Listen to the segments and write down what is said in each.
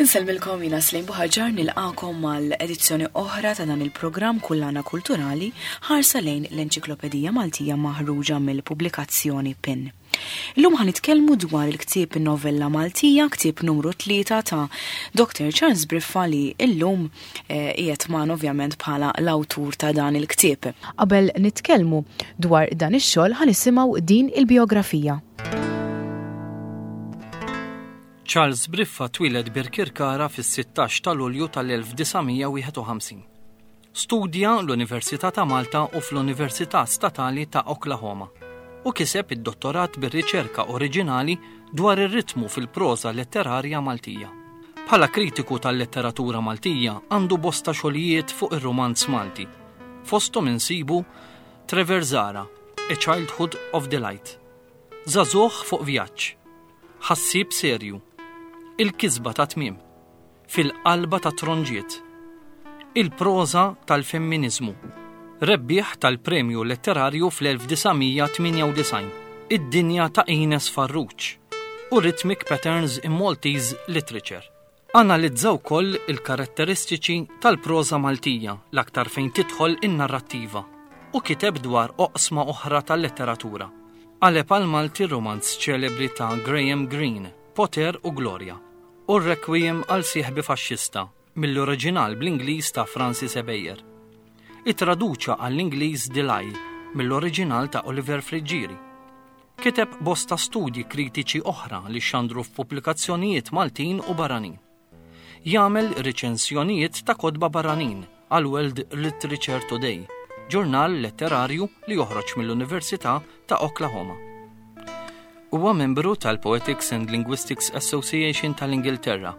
Insellmilkom jiena Slim Buħaġar nilqakom mal edizzjoni oħra ta' dan il-programm Kullana Kulturali ħarsa lejn l-Enċiklopedija Maltija maħruġa mill-pubblikazzjoni PIN. Illum ħa nitkellmu dwar il-ktieb Novella Maltija, ktieb numru 3 ta' Dr. Charles Briffa li illum eh, qiegħed magħna ovvjament bħala l-awtur ta' dan il-ktieb. Qabel nitkellmu dwar dan ix-xogħol ħa nisimgħu din il-biografija. Charles Briffa twieled Birkirkara fis-16 ta' Lulju tal-1951. Studja l-Università ta' Malta u fl-Università Statali ta' Oklahoma u kiseb id-dottorat bir-riċerka oriġinali dwar ir-ritmu fil-proża letterarja Maltija. Bħala kritiku tal-letteratura Maltija għandu bosta xogħlijiet fuq ir-rumanz Malti. Fosthom insibu Trevor Zara, A Childhood of Delight, Żagħżugħ fuq vjaġġ, Ħassieb serju. Il-kisba ta' tmiem. Fil-qalba tat-tronġiet. Il-proża tal-femminiżmu. Rebbieħ tal-Premju Letterarju fl-1998. Id-dinja ta' Ines Farrugia u Rhythmic Patterns in Maltese Literature. Analizza wkoll il-karatteristiċi tal-proża Maltija l-aktar fejn tidħol in-narrattiva u kiteb dwar oqsma oħra tal-letteratura. Qaleb għall-Malti r-rumanz ċelebri ta' Graham Greene, Poter u Glorja, u r-Requiem għal Sieħbi Faxxista mill-oriġinal bl-Ingliż ta' Francis Ebejer. Ittraduċa għall-Ingliż The Lie mill-oriġinal ta' Oliver Friggieri. Kiteb bosta studji kritiċi oħra li xxandru f'pubblikazzjonijiet Maltin u barranin. Jagħmel riċensjonijiet ta' kotba barranin għal World Literature Today, ġurnal letterarju li joħroġ mill-Università ta' Oklahoma. Huwa membru tal-Poetics and Linguistics Association tal-Ingilterra,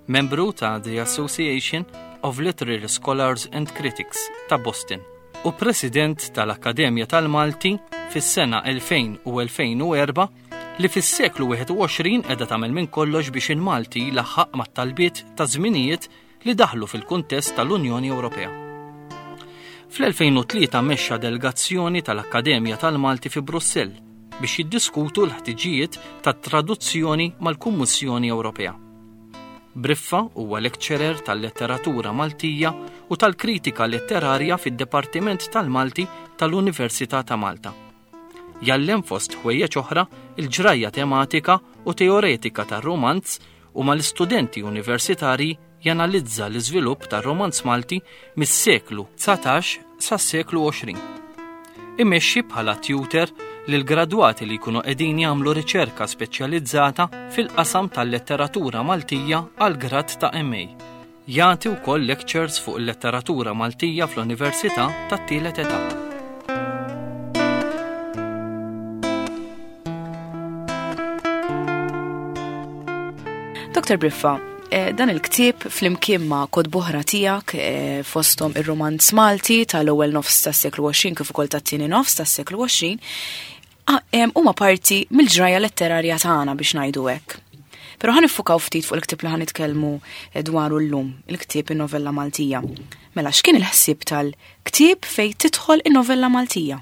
membru ta' The Association of Literary Scholars and Critics ta' Boston u President tal-Akkademja tal-Malti fis-sena 2000 u 2004 li fis-seklu 21 qiegħda tagħmel minn kollox biex il-Malti jlaħħaq mat-talbiet ta' żminijiet li daħlu fil-kuntest tal-Unjoni Ewropea. Fl-2003 mexxa delegazzjoni tal-Akkademja tal-Malti fi Brussell biex jiddiskutu l-ħtiġijiet tat-traduzzjoni mal-Kummissjoni Ewropea. Briffa huwa lecturer tal-Letteratura Maltija u tal-Kritika Letterarja fid-Dipartiment tal-Malti tal-Università ta' Malta. Jgħallem fost ħwejjeġ oħra il-ġrajja tematika u teoretika tar-rumanz u mal-istudenti universitarji janalizza l-iżvilupp tar-romanz Malti mis-seklu 19 sas-seklu 20. Imexxi bħala tutor lill-gradwati li jkunu qegħdin jagħmlu riċerka speċjalizzata fil-qasam tal-letteratura Maltija għal grad ta' MA. Jagħti wkoll lectures fuq il-letteratura Maltija fl-Università tat-Tielet Età. Dr. Briffa, eh, dan il-ktieb flimkien ma' kotba oħra tiegħek eh, fosthom ir-romanz Malti tal-ewwel nofs tas-seklu 20 kif ukoll tat-tieni nofs tas-seklu 20 huma parti mill-ġrajja letterarja tagħna biex ngħidu hekk. Però ħa niffukaw ftit fuq il-ktieb li ħa nitkellmu eh, dwaru llum, il-ktieb in-novella Maltija. Mela x'kien il-ħsieb tal-ktieb fejn tidħol in-novella Maltija?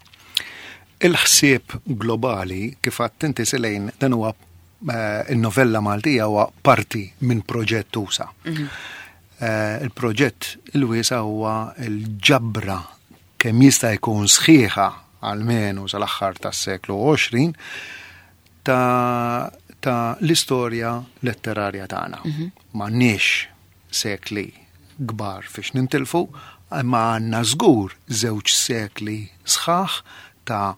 Il-ħsieb globali kif għedt inti Selejn dan huwa eh, il-novella Maltija huwa parti minn proġett usa. Mhm. Eh, il-proġett il-wiesa huwa l-ġabra kemm jista' jkun sħiħa almenu sal-aħħar tas-seklu 20 ta' ta' l-istorja letterarja tagħna. Mhm. M'għandniex sekli kbar fiex nintilfu, imma għandna żgur żewġ sekli sħaħ ta'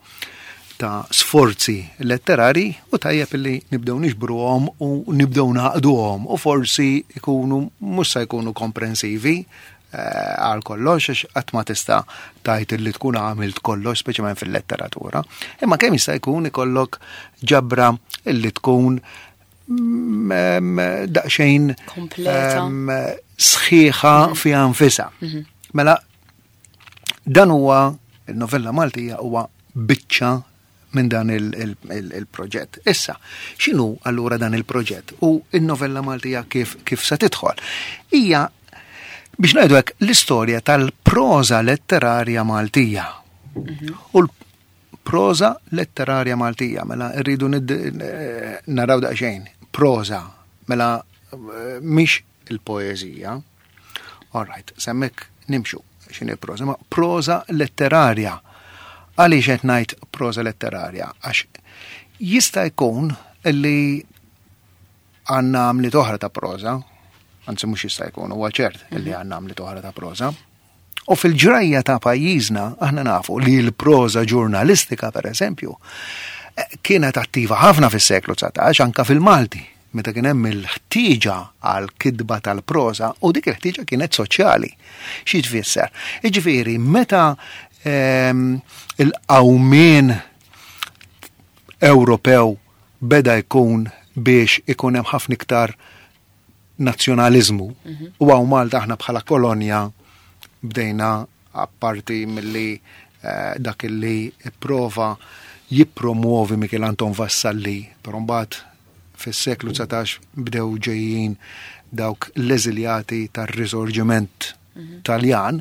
ta' sforzi letterari u tajjeb li nibdew niġbruhom u nibdew naqduhom u forsi ikunu mhux se jkunu komprensivi eh, għal kollox għax qatt ma tista' tgħid li tkun għamilt kollox speċjalment fil-letteratura. Imma kemm jista' jkun ikollok ġabra illi tkun mm, daqsxejn kompleta sħiħa mhm. fiha nfisha. Mhm. Mela dan huwa il-novella Maltija huwa biċċa minn dan il-proġett. Issa, x'inhu allura dan il-proġett u il-novella Maltija kif, kif se tidħol? Hija biex ngħidu hekk l-istorja tal-proża letterarja Maltija. Mhm. U l-proża letterarja Maltija, mela rridu naraw daqsxejn, proża, mela eh, mhix il-poeżija. All right, s'hemmhekk nimxu x'inhi proża, ma proża letterarja. Għaliex qed ngħid proża letterarja? Għax jista' jkun li għandna għamliet oħra ta' proża, anzi mhux jista' jkun, huwa ċert li mhm. għandna għamliet oħra ta' proża. U fil-ġrajja ta' pajjiżna aħna nafu li l-proża ġurnalistika per eżempju eh, kienet attiva ħafna fis-seklu 19 anka fil-Malti meta kien hemm il-ħtieġa għal kitba tal-proża u dik il-ħtieġa kienet soċjali. Xi tfisser? Jiġifieri meta ehm, il-qawmien Ewropew beda jkun biex ikun hemm ħafna iktar nazzjonaliżmu mhm. u hawn Malta aħna bħala kolonja bdejna apparti milli eh, dak li prova jippromuovi Michel Anton Vassalli, però mbagħad fis-seklu 19 bdew ġejjin dawk l-eżiljati tar-risorġiment mhm. Taljan,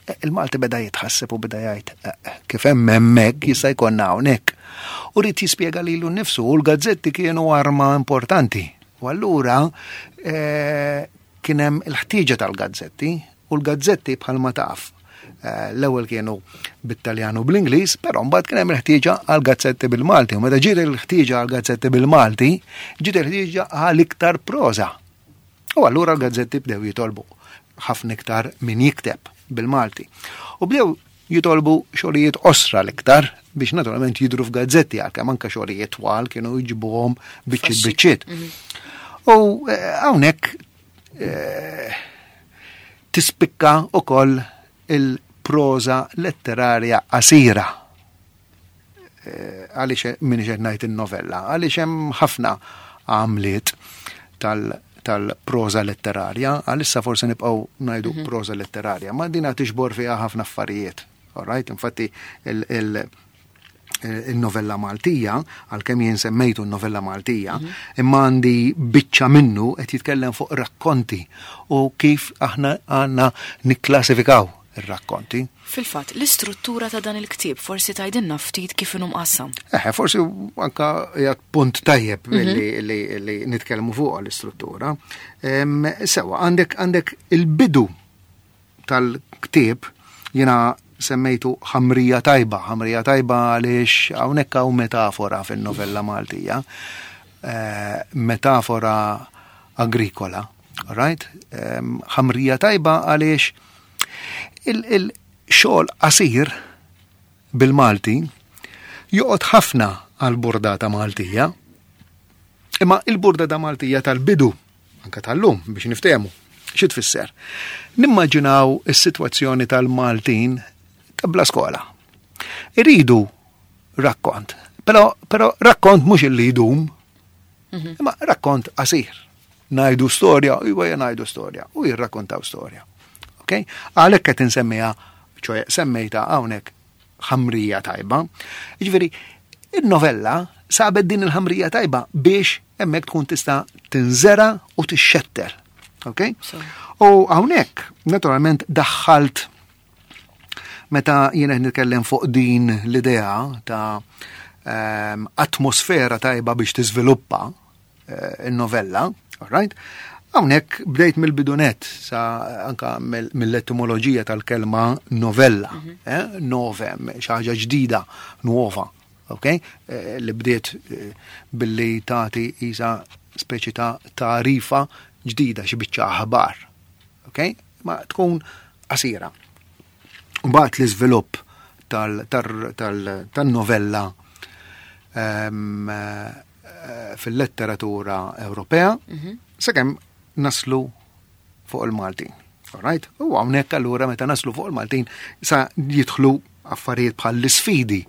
eh, il-Malti beda jitħasseb u beda jgħid eh, kif hemm hemmhekk jista' jkollna hawnhekk. U rrid jispjega lilu nnifsu u l-gazzetti kienu arma importanti. U allura eh, kien hemm il-ħtieġa tal-gazzetti u l-gazzetti bħalma taf l-ewwel kienu bit-Taljan u bl-Ingliż, però mbagħad kien hemm il-ħtieġa għal gazzetti bil-Malti. U meta ġiet il-ħtieġa għal gazzetti bil-Malti, ġiet il-ħtieġa għal iktar proża. U allura l-gazzetti bdew jitolbu ħafna iktar min jikteb bil-Malti. U bdew jitolbu xogħlijiet qosra l-iktar biex naturalment jidru f'gazzetti għalkemm anke xogħlijiet twal kienu jġibuhom biċċiet biċċiet. Mhm. U eh, hawnhekk eh, tispikka ukoll il-proża letterarja qasira. Eh, għaliex min qed ngħid in-novella, għaliex hemm ħafna għamliet tal-proża letterarja, għalissa forsi nibqgħu ngħidu mhm. proża letterarja, ma dina tixbor fiha ħafna affarijiet. All right? Infatti il-novella Maltija, għalkemm jien semmejtu n-novella Maltija, mhm. imma għandi biċċa minnu qed jitkellem fuq rakkonti u kif aħna għandna nikklassifikaw ir-rakkonti. Fil-fatt, l-istruttura ta' dan il-ktieb forsi tgħidilna ftit kif inhu mqassam. Eħe, forsi anka hija punt tajjeb mhm. li, li, li nitkellmu fuq l-istruttura. Sewa, għandek għandek il-bidu tal-ktieb jiena semmejtu ħamrija tajba, ħamrija tajba għaliex hawnhekk hawn metafora fin-novella Maltija, eh, metafora agrikola, right? Ħamrija tajba għaliex Il-xogħol qasir bil-Malti joqgħod ħafna għall-burdata Maltija. Imma il-burdata Maltija tal-bidu, anka tal-lum biex niftehmu, xi tfisser? Nimmaġinaw is-sitwazzjoni tal-Maltin ta' bla skola. Iridu rakkont, però, però rakkont mhux illi jdum, mhm. imma rakkont qasir. Ngħidu storja, iwa ngħidu storja, u jirrakkontaw storja. Ok? Għalhekk qed insemmiha, ċoe semmejta hawnhekk ħamrija tajba. Jiġifieri, il-novella sabet din il-ħamrija tajba biex hemmhekk tkun tista' tinżera u tixxetter. Ok? U hawnhekk, naturalment, daħħalt meta jien qed nitkellem fuq din l-idea ta' ehm, atmosfera tajba biex tiżviluppa eh, il-novella, all right? Hawnhekk bdejt mill-bidunet sa anka mill-etimoloġija tal-kelma novella, mm -hmm. eh? novem, xi ħaġa ġdida, nuova, ok? Eh, li bdiet eh, billi tagħti isa speċi ta' tarifa ġdida xi biċċa aħbar, ok? Ma tkun qasira. Mbagħad l-iżvilupp tal-novella ehm, eh, fil-letteratura Ewropea mhm. sakemm naslu fuq il-Maltin. Alright? U hawnhekk allura meta naslu fuq il-Maltin sa jidħlu affarijiet bħal l-isfidi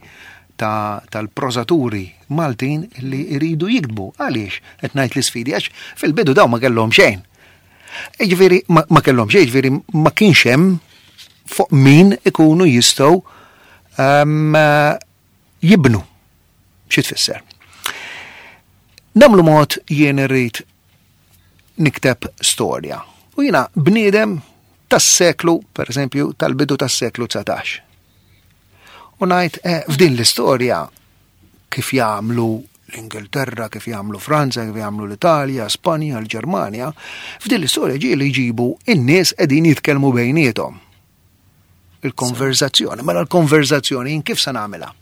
tal-prożaturi Maltin li jridu jiktbu. Għaliex qed ngħid l-isfidi għax fil-bidu dawn ma kellhom xejn. Jiġifieri ma kellhom xejn, jiġifieri ma kienx hemm fuq min ikunu jistgħu ehm, jibnu. Xi tfisser? Namlu mod jien irrid nikteb storja. U jiena bniedem tas-seklu, per eżempju, tal-bidu tas-seklu 19. U ngħid eh, f'din l-istorja kif jagħmlu l-Ingilterra, kif jagħmlu Franza, kif jagħmlu l-Italja, Spanja, l-Ġermanja, f'din l-istorja ġieli jġibu in-nies qegħdin jitkellmu bejniethom. Il-konverzazzjoni, mela l-konverzazzjoni jien kif se nagħmilha?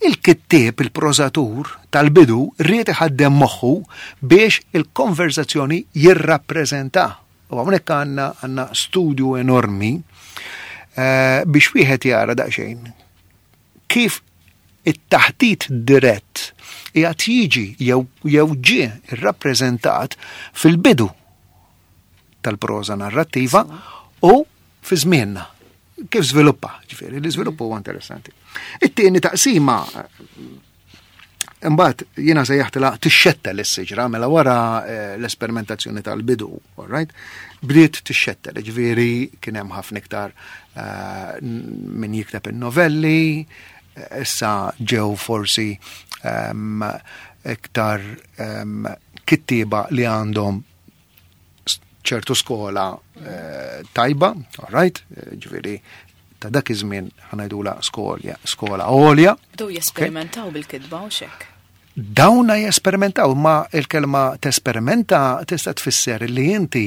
Il-kittieb, il-prożatur tal-bidu ried iħaddem moħħu biex il-konverzazzjoni jirrappreżenta. U hawnhekk għandna għandna studju enormi eh, biex wieħed jara daqsxejn kif it-taħdit dirett qiegħed jiġi jew jew ġie rrappreżentat fil-bidu tal-proża narrattiva u fi żmienna. Kif żviluppa, ġifieri, l-iżvilupp huwa interessanti. It-tieni taqsima Imbagħad jiena sejjaħtilha tixxettel is-siġra mela wara eh, l-esperimentazzjoni tal-bidu, all right? Bdiet tixxettel, ġifieri kien hemm ħafna iktar eh, min jikteb in-novelli, eh, issa ġew forsi ehm, iktar ehm, kittieba li għandhom ċertu skola eh, tajba, all right, eh, ġifieri ta' dak iż-żmien ħanajdula skolja, skola għolja. Bdew jesperimentaw bil-kitba u xek. Dawna jesperimentaw, ma il-kelma tesperimenta tista' tfisser li inti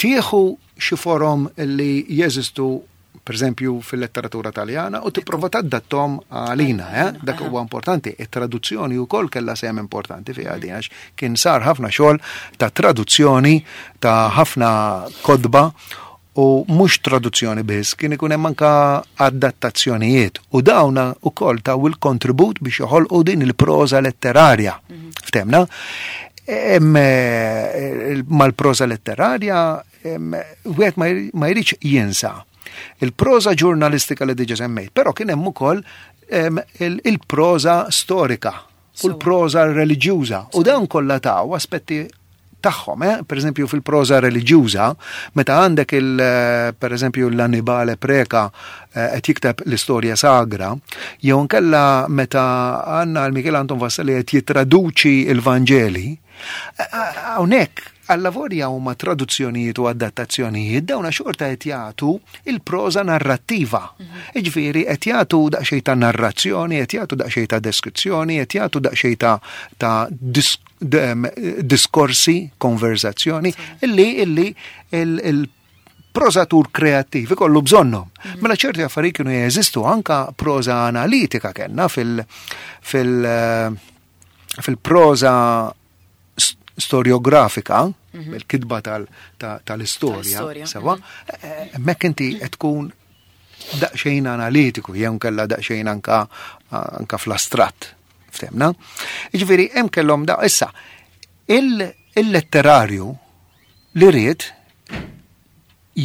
tieħu xi forom li jeżistu per eżempju fil-letteratura taljana u tipprova tadattom għalina, eh? dak huwa importanti. It-traduzzjoni wkoll kellha sehem importanti fiha din għax kien sar ħafna xogħol ta' traduzzjoni ta' ħafna kodba u mhux traduzzjoni biss, kien ikun hemm anka adattazzjonijiet u dawna wkoll taw il-kontribut biex joħolqu din il-proża letterarja. Mhm. Ftemna? Eh, mal-proża letterarja wieħed ma jridx jinsa il-proża ġurnalistika li diġa semmejt, però kien hemm ukoll il-proża storika u l-proża reliġjuża u dawn kollha taw aspetti tagħhom, eh? Per eżempju fil-proża reliġjuża, meta għandek il eh, per eżempju l-Annibale Preka eh, qed jikteb l-istorja sagra, jew nkella meta għandna l-Michel Anton Vassalli qed jittraduċi il-Vanġeli, Hawnhekk allavolja huma traduzzjonijiet u adattazzjonijiet dawna xorta qed jagħtu il-proża narrattiva. Mhm. Jiġifieri qed jagħtu daqsxejn ta' narrazzjoni, qed jagħtu daqsxejn ta' deskrizzjoni, qed jagħtu daqsxejn ta' ta' diskorsi, konverzazzjoni, illi illi il-prożatur kreattiv ikollu bżonnhom. Mhm. Mela ċerti affarijiet kienu jeżistu anka proża analitika kellna fil- fil- fil-proża storiografika, mhm. il-kitba tal-istorja, sewa, mhm. eh, eh, hemmhekk inti qed tkun daqsxejn analitiku, jew kella daqsxejn anka anka fl-astratt, ftemna. Jiġifieri hemm kellhom da issa il-letterarju li ried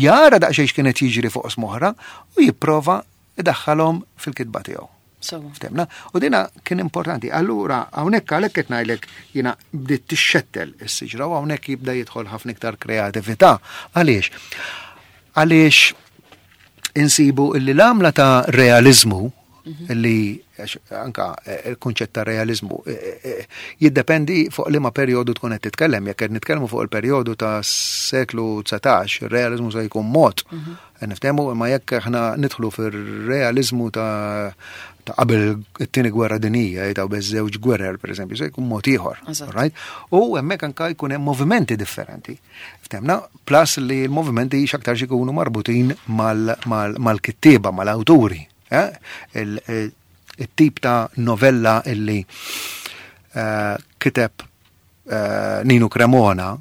jara daqsxejn x'kienet jiġri fuq smoħra u jipprova idaħħalhom fil-kitba tiegħu. Ftemna? U dina kien importanti. Allura, hawnhekk għalhekk qed ngħidlek jiena bdiet tixxettel is-siġra u hawnhekk jibda jidħol ħafna iktar kreatività. Għaliex? Għaliex insibu illi l-għamla ta' realizmu mhm. li anka eh, il-kunċett ta' realizmu eh, eh, jiddependi fuq liema perjodu tkun qed titkellem. Jekk qed nitkellmu fuq il-perjodu ta' seklu 19, ir-realizmu se jkun mod. Mhm. Niftehmu imma jekk aħna nidħlu fir-realizmu ta' ta' qabel it-tieni gwerra dinija, ta' beż żewġ gwerer pereżempju, se jkun mod ieħor. Right? U hemmhekk anka jkun hemm movimenti differenti. Ftemna, plus li l-movimenti x'aktar ikunu marbutin mal-kittieba, mal-awturi. Eh? Il-tip ta' novella illi eh, kiteb eh, Nino Cremona,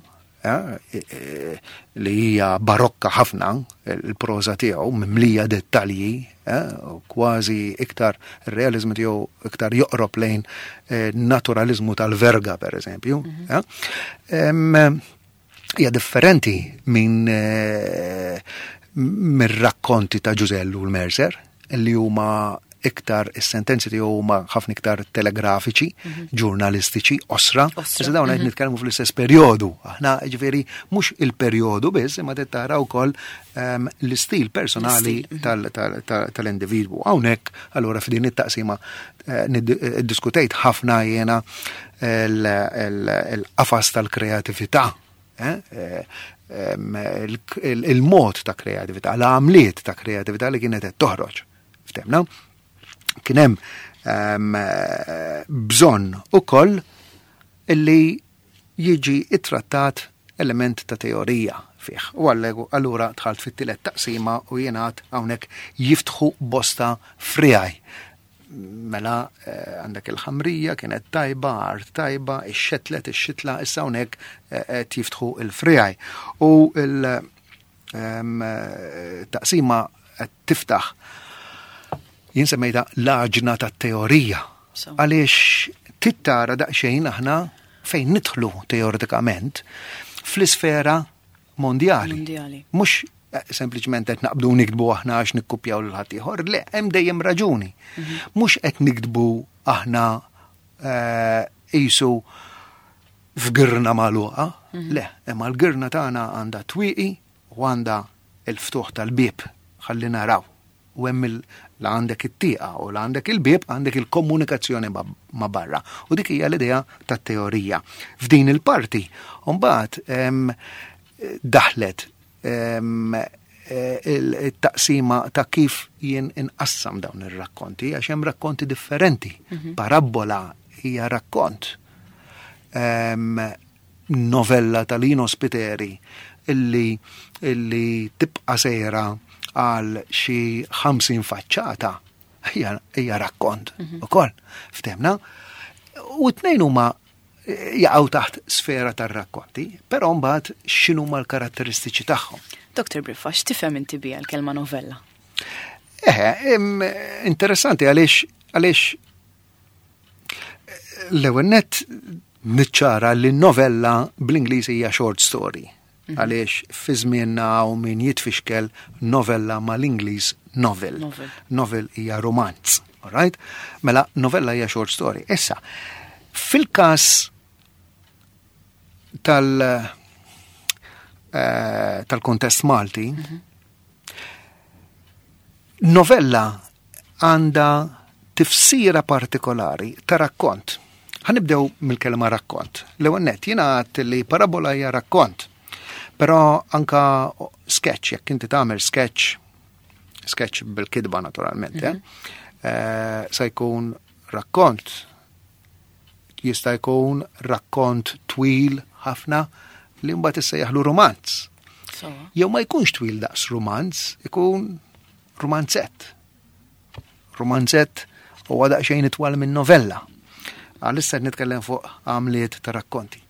eh, li hija barokka ħafna, il-proża tiegħu mimlija dettalji, eh, kważi iktar ir-realizmu tiegħu iktar joqrob lejn naturalizmu tal-verga per eżempju. Mhm. Hija differenti minn mir-rakkonti ta' Ġużellu l-Mercer, li huma iktar is-sentenzi tiegħu huma ħafna iktar telegrafiċi, mhm. ġurnalistiċi, osra. Iżda dawn qed mhm. nitkellmu fl-istess perjodu. Aħna ġifieri mhux il-perjodu biss, imma trid tara wkoll ehm, l-istil personali mhm. tal-individwu. Hawnhekk allura f'din it-taqsima eh, eh, diskutejt ħafna jiena l-qafas tal-kreatività eh, ehm, il-mod ta' kreatività, l-għamliet ta' kreatività li kienet qed toħroġ. Ftemna? kien hemm ehm, bżonn ukoll illi jiġi ittrattat element ta' teorija fih. U allura dħalt fit-tielet taqsima u jingħad hawnhekk jiftħu bosta friegħi. Mela eh, għandek il-ħamrija kienet tajba, art tajba, ix-xetlet, ix-xitla, issa hawnhekk eh, qed jiftħu il-friegħi. U il-taqsima ehm, qed tiftaħ jien semmejta l-għaġna tat-teorija. Għaliex tittara daqsxejn aħna fejn nidħlu teoretikament fl-isfera mondjali. Mondjali. Mhux eh, sempliċement qed naqbdu niktbu aħna għax nikkupjaw lil ħaddieħor, le, hemm dejjem raġuni. Mhm. Mhux qed niktbu aħna eh, qisu f'girna magħluqa, mhm. le, imma l-girna tagħna għandha twieqi u għandha il-ftuħ tal-bieb ħalli naraw. U hemm la għandek it-tieqa u la għandek il-bieb għandek il-komunikazzjoni ma' barra. U dik hija l-idea tat-teorija. F'din il-parti, mbagħad daħlet il-taqsima ta' kif jien inqassam dawn ir-rakkonti, għax hemm rakkonti differenti. Mhm. Parabbola hija rakkont. Novella ta' Lino Spiteri illi illi tibqa' sejra għal xi 50 faċċata hija rakkont mhm. ukoll. Ftemna? U t-tnejn huma eh, jaqgħu taħt sfera tar-rakkonti, però mbagħad x'inhuma l-karatteristiċi tagħhom. Dr. Briffa, x'tifhem inti biha l-kelma novella? Eħe, interessanti għaliex għaliex L-ewwel nett niċċara li novella bl-Ingliż hija short story. Mhm. Għaliex fi żmienna hawn min jitfixkel novella mal-Ingliż novel. Novel hija romanz, alright? Mela novella hija short story. Issa, fil-każ tal eh, tal-kontest Malti, mhm. novella għandha tifsira partikolari ta' rakkont. Ħa nibdew mill-kelma rakkont. L-ewwel nett jiena għedt li parabola hija rakkont. Però anka sketch, jekk inti tagħmel sketch, sketch bil-kitba naturalment, mm -hmm. se jkun rakkont. Jista' jkun rakkont twil ħafna li mbagħad issejjaħlu romanz. Jew ma jkunx twil daqs romanz, ikun Rumanzett. Rumanzett huwa daqsxejn itwal minn novella. Għalissa qed nitkellem fuq għamliet ta' rakkonti.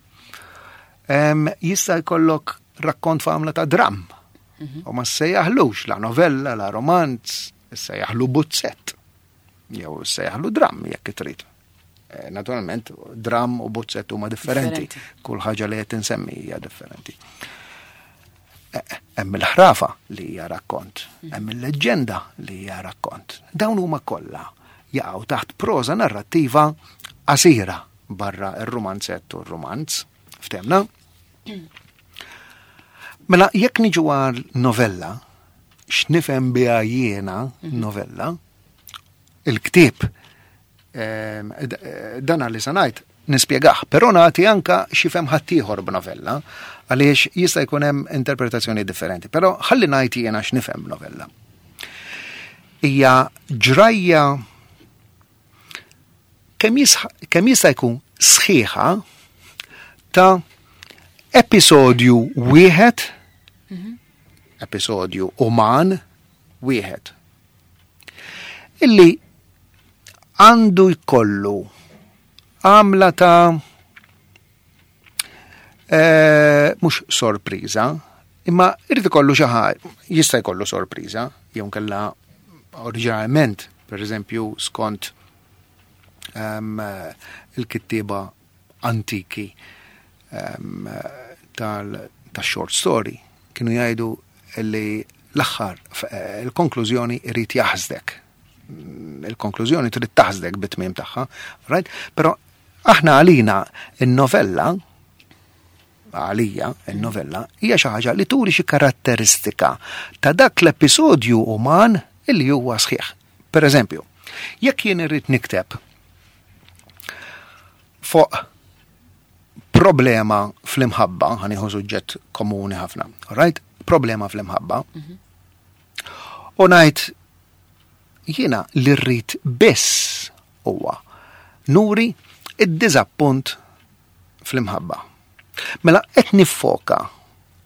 Jista' jkollok rakkont f'għamla ta' dram. Mhm. U ma sejjaħlux la novella, la romanz, sejjaħlu buzzett. Jew sejjaħlu dram jekk trid. Eh, naturalment, dram u buzzett huma differenti. Kull ħaġa li qed insemmi hija differenti. Eh, hemm il-ħrafa li hija rakkont, mm. hemm il-leġġenda li hija rakkont. Dawn huma kollha jaqgħu taħt proża narrattiva qasira barra ir-rumanzett u r-rumanz. Ftemna? Mela, jekk niġu għal novella, x'nifhem biha jiena mhm. novella, il-ktieb Ehm, eh, dan li se ngħid nispjegah, però nagħti anka x'ifhem ħaddieħor b'novella għaliex jista' jkun hemm interpretazzjoni differenti. Però ħalli ngħid jiena x'nifhem b'novella. Hija ġrajja kemm jista' jkun sħiħa ta' episodju wieħed, mhm. episodju uman wieħed illi għandu jkollu għamla ta' eh, mhux sorpriża, imma irid ikollu xi ħaġa, jista' jkollu sorpriża, jew kella oriġinalment, per eżempju, skont um, il-kittieba antiki um, tal-short story kienu jgħidu li l-aħħar eh, il-konklużjoni irid jaħsdek. Mm, il-konklużjoni trid taħsdek bit-tmiem tagħha, right? Però aħna għalina in-novella għalija in-novella hija xi ħaġa li turi xi karatteristika ta' dak l-episodju uman illi huwa sħiħ. Per eżempju, jekk jien irrid nikteb fuq problema fl-imħabba, ħaniħu suġġett komuni ħafna, right? Problema fl-imħabba. Mhm. U ngħid Jiena li rrid biss huwa nuri id-diżappunt fl-imħabba. Mela qed niffoka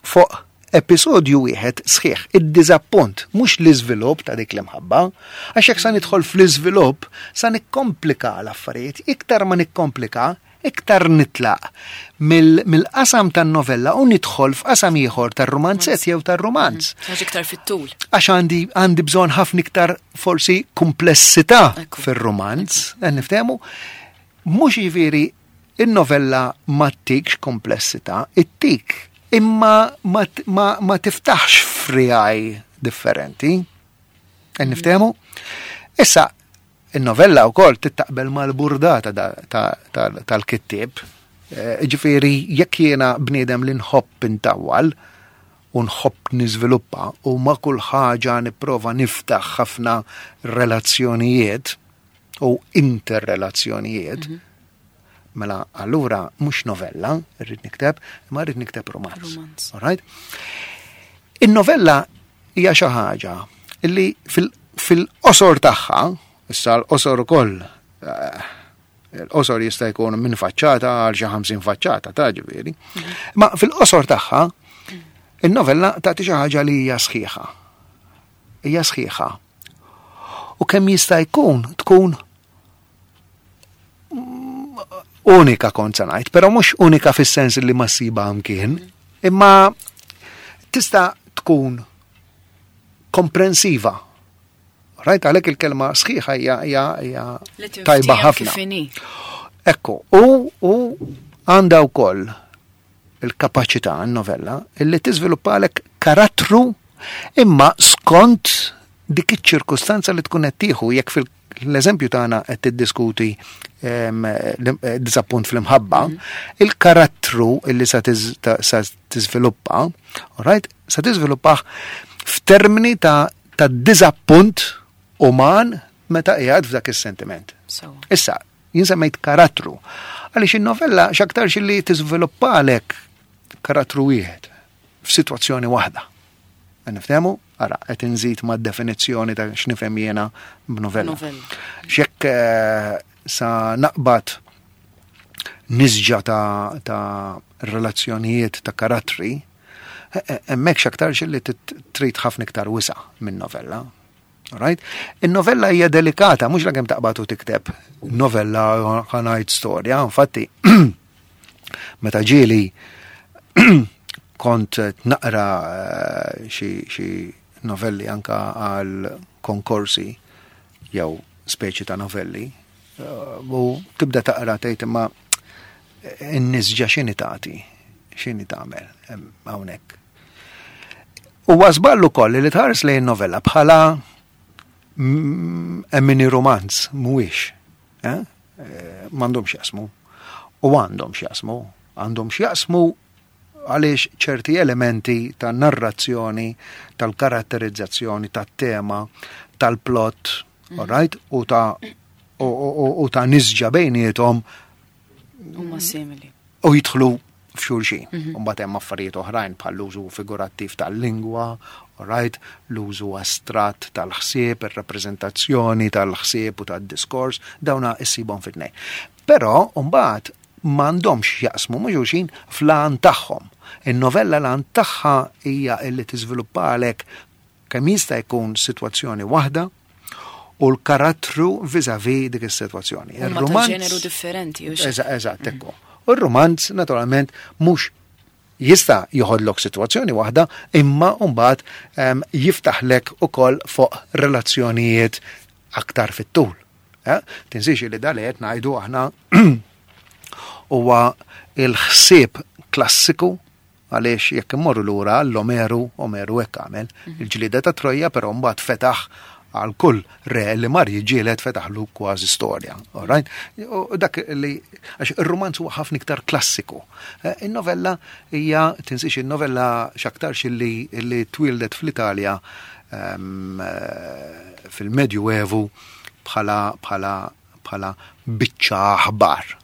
fuq episodju wieħed sħiħ, id-diżappunt, mhux l-iżvilupp ta' dik l-imħabba, għax jekk sa nidħol fl-iżvilupp sa nikkomplika l-affarijiet, iktar ma nikkomplika, iktar nitlaq mill-qasam tan-novella u nidħol f'qasam ieħor tar-rumanzett jew tar-rumanz. Għax iktar fit-tul. Għax għandi għandi bżonn ħafna iktar forsi komplessità fir-rumanz, qed niftehmu. Mhux jiġifieri in-novella ma ttikx komplessità, ittik imma ma, ma, ma tiftaħx frijaj differenti. Qed niftehmu? Issa, In-novella wkoll tittaqbel mal-burdata tal-kittieb. Eh, ġifieri jekk jiena bniedem li nħobb intawwal u nħobb niżviluppa u ma' kull ħaġa nipprova niftaħ ħafna relazzjonijiet u interrelazzjonijiet, mhm. mela allura mhux novella rrid nikteb, imma rrid nikteb romanz. Alright? In-novella hija xi ħaġa li fil-qosor tagħha, issa l-qosor ukoll eh, il-qosor jista' jkun minn faċċata għal xi 50 faċċata ta' ġifieri. Ma fil-qosor tagħha in-novella tagħti xi ħaġa li hija sħiħa. Hija sħiħa. U kemm jista' jkun tkun unika kont se ngħid, però mhux unika fis-sens li ma ssiba mkien, imma tista' tkun komprensiva. Rajt għalhekk il-kelma sħiħa hija hija hija tajba ħafna. Ekku, u u għandha wkoll il-kapaċità n-novella illi tiżviluppalek karattru imma skont dik iċ-ċirkustanza li tkun qed tieħu jekk fil-eżempju tagħna qed tiddiskuti ehm, eh, diżappunt fl-imħabba, mhm. il-karattru illi sa tiżviluppa, right, sa tiżviluppah f'termini ta' ta' diżappunt uman meta qiegħed f'dak is-sentiment. Issa, jien semmejt karattru. Għaliex in-novella x'aktarx li tiżviluppalek karattru wieħed f'sitwazzjoni waħda. Niftehmu? Ara, qed inżid ma' definizzjoni ta' x'nifhem jiena b'novella. X'jekk eh, sa naqbad nisġa ta', ta relazzjonijiet ta' karattri, eh, eh, hemmhekk x'aktarx li trid ħafna iktar wisa' minn novella. Right? In-novella hija delikata, mhux lakemm taqbad u tikteb novella ħanajt storja, infatti meta ġieli kont naqra eh, xi novelli anka għal konkorsi jew speċi ta' novelli eh, u tibda taqra tgħid imma in-nisġa x'inhi tagħti, x'inhi tagħmel hawnhekk. Huwa żball ukoll li tħares lejn novella bħala mini romanz mhuwiex. Eh? Eh, m'għandhomx jaqsmu. U għandhom x'jaqsmu. Għandhom x'jaqsmu għaliex ċerti elementi ta' narrazzjoni, tal-karatterizzazzjoni, tat-tema, tal-plot, mm. right? U ta' u ta' nisġa bejniethom huma simili. U jidħlu f'xulxin. Mhm. Mbagħad hemm affarijiet oħrajn bħal l-użu figurattiv tal-lingwa, right, l-użu astratt tal-ħsieb, ir-rappreżentazzjoni tal-ħsieb u tad-diskors, dawna issibhom fit-tnejn. Però mbagħad m'għandhomx jaqsmu ma' xulxin fl-għan tagħhom. In-novella l-għan tagħha hija illi tiżviluppalek kemm jista' jkun sitwazzjoni waħda u l-karattru vis-a-vis dik is-sitwazzjoni. Ir-romanz ġeneru differenti. Eżatt, ekku. U r-romanz naturalment mhux jista' joħodlok sitwazzjoni waħda imma mbagħad ehm, jiftaħlek ukoll fuq relazzjonijiet aktar fit-tul. Eh? Tinsiex li dal qed ngħidu aħna huwa il-ħsieb klassiku Għaliex jekk immorru lura għall-Omeru, Omeru hekk għamel. Mhm. Il-ġlieda ta' Trojja però mbagħad fetaħ għal kull re li mar jiġġieled fetaħlu kważi storja. Alright? U dak li għax ir-rumanz huwa ħafna iktar klassiku. Eh, in-novella hija tinsiex in-novella x'aktarx li li twieldet fl-Italja ehm, eh, fil-Medju Evu bħala bħala bħala biċċa aħbar.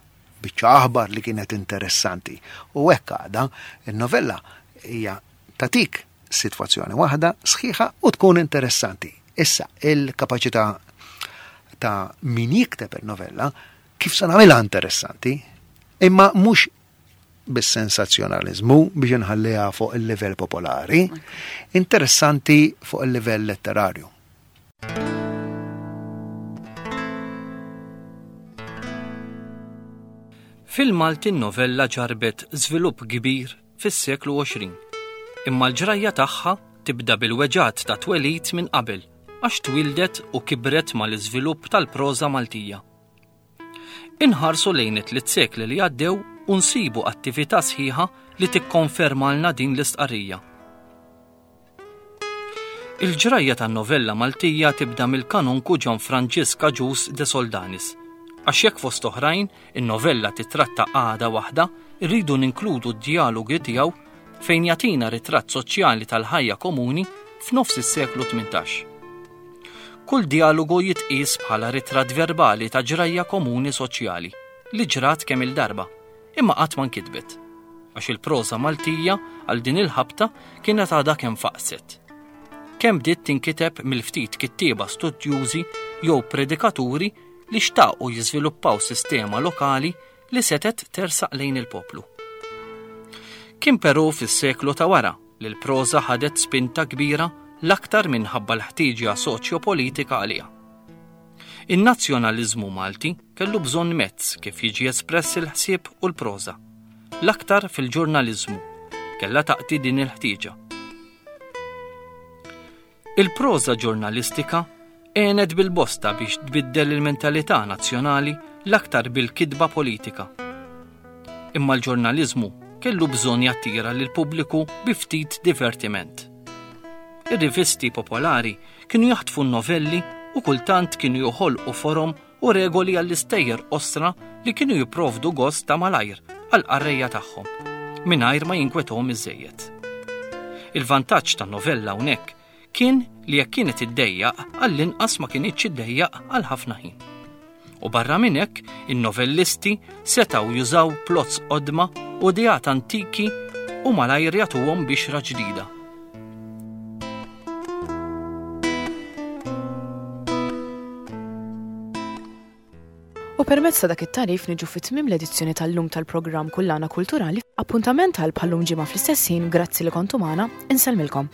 Biċċa aħbar li kienet interessanti. U hekk għadha, in-novella hija tagħtik sitwazzjoni waħda sħiħa u tkun interessanti. Issa, il-kapaċità ta' min jikteb il-novella kif se nagħmilha interessanti, imma mhux bis-sensazzjonaliżmu biex inħalliha fuq il-livell popolari, interessanti fuq il-livell letterarju. Fil-Malti n-novella ġarbet żvilupp kbir fis-seklu 20. Imma l-ġrajja tagħha tibda bil-weġgħat ta' twelid minn qabel għax twieldet u kibret mal-iżvilupp tal-proża Maltija. Inħarsu lejn it-tliet sekli li għaddew u nsibu attività sħiħa li tikkonfermalna din l-istqarrija. Il-ġrajja tan-novella Maltija tibda mill-kanonku Ġan Franġisk Agius de Soldanis. Għax jekk fost oħrajn in-novella titratta qagħda waħda, irridu ninkludu d-djalogi tiegħu fejn jagħtina ritratt soċjali tal-ħajja komuni f'nofs is-seklu 18. Kull djalogu jitqies bħala ritratt verbali ta' ġrajja komuni soċjali li ġrat kemm-il darba, imma qatt ma nkitbet, għax il-proża Maltija għal din il-ħabta kienet għadha kemm faqset. Kemm bdiet tinkiteb mill-ftit kittieba studjużi jew predikaturi li xtaqu jiżviluppaw sistema lokali li setgħet tersaq lejn il-poplu. Kien però fis-seklu ta' wara li l-proża ħadet spinta kbira l-aktar minħabba l-ħtieġa soċjopolitika għaliha. In-nazzjonaliżmu Malti kellu bżonn mezz kif jiġi espress il-ħsieb u l-proża. L-aktar fil-ġurnaliżmu kellha taqti din il-ħtieġa. Il-proża ġurnalistika għenet bil-bosta biex tbiddel il-mentalità nazzjonali l-aktar bil-kitba politika. Imma l-ġurnaliżmu kellu bżonn jattira lill-pubbliku bi ftit divertiment. Ir-rivisti popolari kienu jaħtfu n-novelli u kultant kienu joħolqu forom u regoli għall-istejjer qosra li kienu jipprovdu gost ta' malajr għall-qarrejja tagħhom, mingħajr ma jinkwetahom iżżejjed. Il-vantaġġ tan-novella hawnhekk kien li jekk kienet iddejjaq, għall-inqas ma kinitx iddejjaq għal ħafna ħin. U barra minn hekk, in-novellisti setgħu jużaw plots qodma u ideat antiki u malajr jagħtuhom bixra ġdida. U permezz ta' dak it-tagħrif niġu fi tmiem l-edizzjoni tal-lum tal-programm Kullana Kulturali. Appuntament għal bħal-lum ġimgħa fl-istess ħin, grazzi li kontu magħna, insellmilkom.